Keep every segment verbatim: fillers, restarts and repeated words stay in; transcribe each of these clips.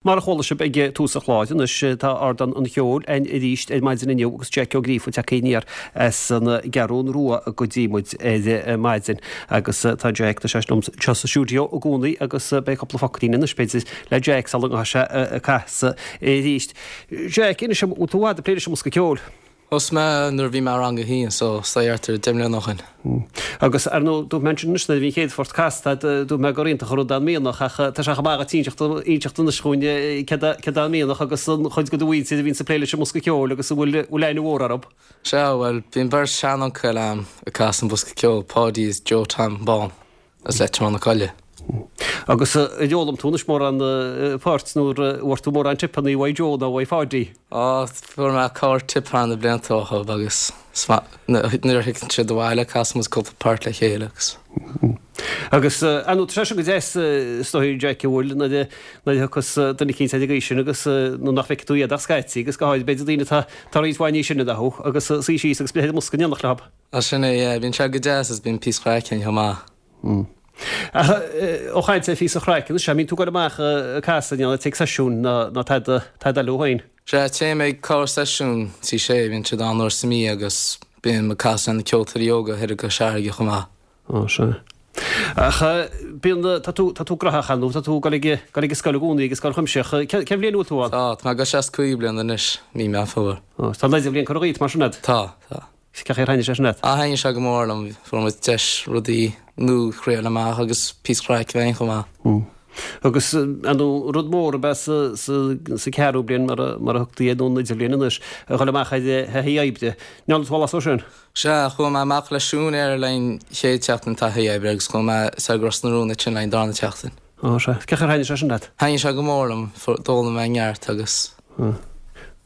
Mar a chuala sibh ag tús an chláir anois, tá Ardán an Cheoil againn arís ar maidin inniu agus Jack Ó Gríofa tagtha aniar as an gCeathrún Rua go dtí muid ar maidin. Agus tá Jack, tá sé liom anseo sa stiúideo i gcónaí agus beidh cúpla focailín anois b'fhéidir le Jack sula ngabhfaidh sé ag casadh arís. Jack, inis dom, bhfuil tú i bhfad ag plé leis an mbosca ceoil? Thosaigh mé nuair a bhí mé i rang a haon so is dóigh thart ar deich mbliana ó shin. Agus ar ndóigh dúirt mé ansin anois nuair a bhí an chéad phort casta agat dúirt mé gur iontach an rud é an mianach ach tá sé chomh maith agat inseacht inseacht anois dhúinn céard é céard é an mianach agus an chuid de do mhuintir a bhíonns ag plé leis an mbosca ceoil agus an bhfuil bhfuil aithne mhór orthu. Sea, bhuel, bíonn beirt seanuncail a'm ag casadh an bosca ceoil, Páidí is Joe Tom Bán as Leitir Mealláin na Coille. Agus ar fhoghlaim tú anois mórán poirt nó ar bhfuair tú mórán tipeanna uaidh Joe nó uaidh Pháidí? Á, fuair mé corr tip thar na blianta uathu agus nuair a thigeann siad abhaile casann muid cúpla port le chéile agus. Agus ar ndóigh tá sé sin go deas is dóigh Jack an bhfuil nuair a nuair a thiocfas duine eicínt ar an gcaoi sin agus nó nach bhfeicfidh tú iad ach scaití agus go háirid b'fhéidir daoine atá atá roinnt mhaith níos sine ná thú agus suí síos agus breith ar an mbosca in éineacht leo. Á sin é, yeah, bíonn sé go deas agus bíonn píosa craic ann chomh maith. Ach ó chaint ar phíosa chraic anois, an mbíonn tú ag dul amach ag casadh ná ag seisiúin ná tada tada eile féin? Sea, téim ag corr-seisiún Tí Sé, bíonn siad ann uair sa mí agus bím ag casadh le na ceoltóirí óga thoir i gCois Fharraige chomh maith. Ó, sea. Ach bíonn, tá tú, tá tú graitheach ann, tá tú ag dul ag, dul ag an scoil i gcónaí, ag an scoil chuimsitheach. Cén, cén bhliain a bhfuil tú ann? Tá, tá mé ag dul isteach sa cúigiú bliain anois, mí Meán Fómhair. Ó, tá an idirbhliain curtha dhíot mar sin agat? Tá, tá. Cén chaoi ar thaitnigh sé sin leat? Ah, thaitnigh sé go mór liom. Fuair muid deis rudaí nua a thriail amach agus píosa craic a bheith againn chomh maith. Agus ar ndóigh rud mór ab ea sa sa ceathrú bliain mar a mar a thugtaí air nó an idirbhliain anois, a dhul amach ar thaithí oibre. Ndearna tú a leithéid sin? Sea, chuaigh mé amach le siúinéir le haghaidh an chéad tseachtain taithí oibre agus chuaigh mé soir go Ros na Rún ansin le haghaidh an darna tseachtain. Ó, sea. Cén chaoi ar thaitnigh sé sin leat? Thaitnigh sé go mór liom. D'fhoghlaim mé neart agus.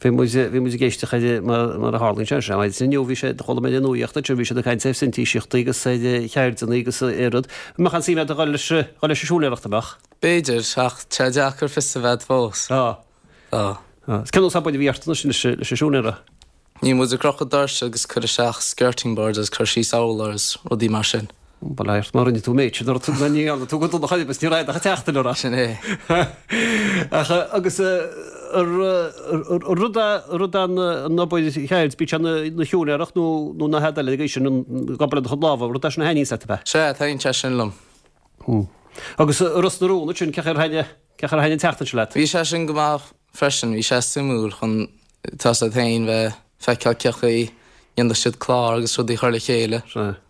Bhí muid, bhí muid ag éisteacht ar, mar, mar a tharlaíonn sé, sé, maidin inniu bhí sé, chuala mé ar an nuaíocht ansin, bhí siad ag caint ar phrintíseachtaí agus ar cheirdeanna agus ar rud. An mbeadh aon suim agat a dhul leis, dhul leis an siúinéireacht, an mbeadh? B'fhéidir, ach tá sé deacair fios a bheith fós. Tá. Tá. Tá. Cén nós obair a bhí ort anois leis, leis an siúinéara? Bhí muid ag crochadh doirse agus cur isteach skirting boards agus cur síos urláir agus rudaí mar sin. Bail ort má rinne tú an méid sin ort ní dhearna tú go dona chor ar bith ní raibh ach teacht in orthu. Sin é. Ach agus rud rud an an obair cheird bíodh sé na siúinéireacht nó nó na headaí eile ag sin an obair le do chuid lámha rud é sin a thaitníonns leat ab ea? Sea, taitníonn sé sin liom. Agus Ros na Rún ansin cén chaoi ar thaitnigh cén chaoi ar thaitnigh an tseachtain sin leat? Bhí sé sin go maith freisin, bhí sé suimiúil chun tá a fhios agat féin bheith feiceáil cén chaoi a ndéanann siad clár agus rudaí a chur le chéile. Sea.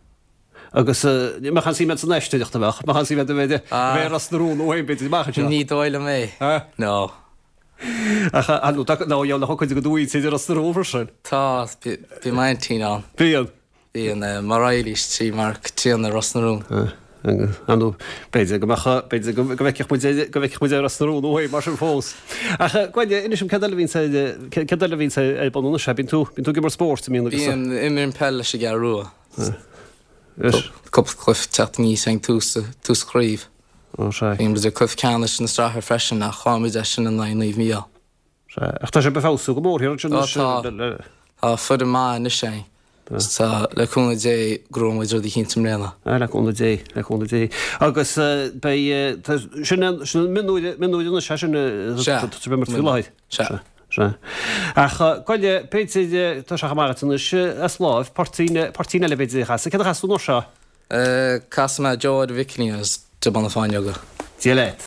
Agus ní mbeadh aon suim agat san aisteoireacht, an mbeadh? Mbeadh aon suim agat a bheith a bheith i Ros na Rún ó shin b'fhéidir amach anseo? Ní dóigh liom é. No. Ach ar ndóigh tá nó gheall le cuid de do mhuintir i Ros na Rún freisin. Tá, bíonn m'aintín ann. Bíonn. Bíonn mar Eilís trí mar Caitríona Ros na Rún. Ar ndóigh, b'fhéidir go mbeadh, b'fhéidir go bhfeicfeadh muid, go bhfeicfeadh muid Ros na Rún uaidh mar sin fós. Ach Gráinne, inis dom céard eile a bhíonns ar, céard eile a bhíonns ar bun anois? Bíonn tú, bíonn tú ag imirt spóirt, an mbíonn agus? Bíonn, imrím peil leis an gCeathrú Rua. Cúpla cluiche teacht aníos ag tús, tús chraobh. Ó sea. Bhí muid ag cluiche ceannais na sraithe freisin ach chaill muid é sin in aghaidh Naomh Mícheál. Sea, ach tá sibh ag feabhsú go mór thiar ansin Ó tá, tá foireann maith anois againn. Tá, le cúnamh Dé, gnóthóidh muid rud eicínt i mbliana. Ah, le cúnamh Dé, le cúnamh Dé. Agus beidh, tá, sin an, sin an mionúir, mionúir anois, é sin, Sea. tá sibh ag imirt faoi láthair. Sea. Sea. Ach gabh i leith, b'fhéidir, tá sé chomh maith agat anois as láimh, poirtín, poirtín eile b'fhéidir a chasadh. Céard a chasfaidh tú an uair seo? Casfaidh mé Joe Ed Mhicilín agus Dubhán na Fáinleoga. Dia leat.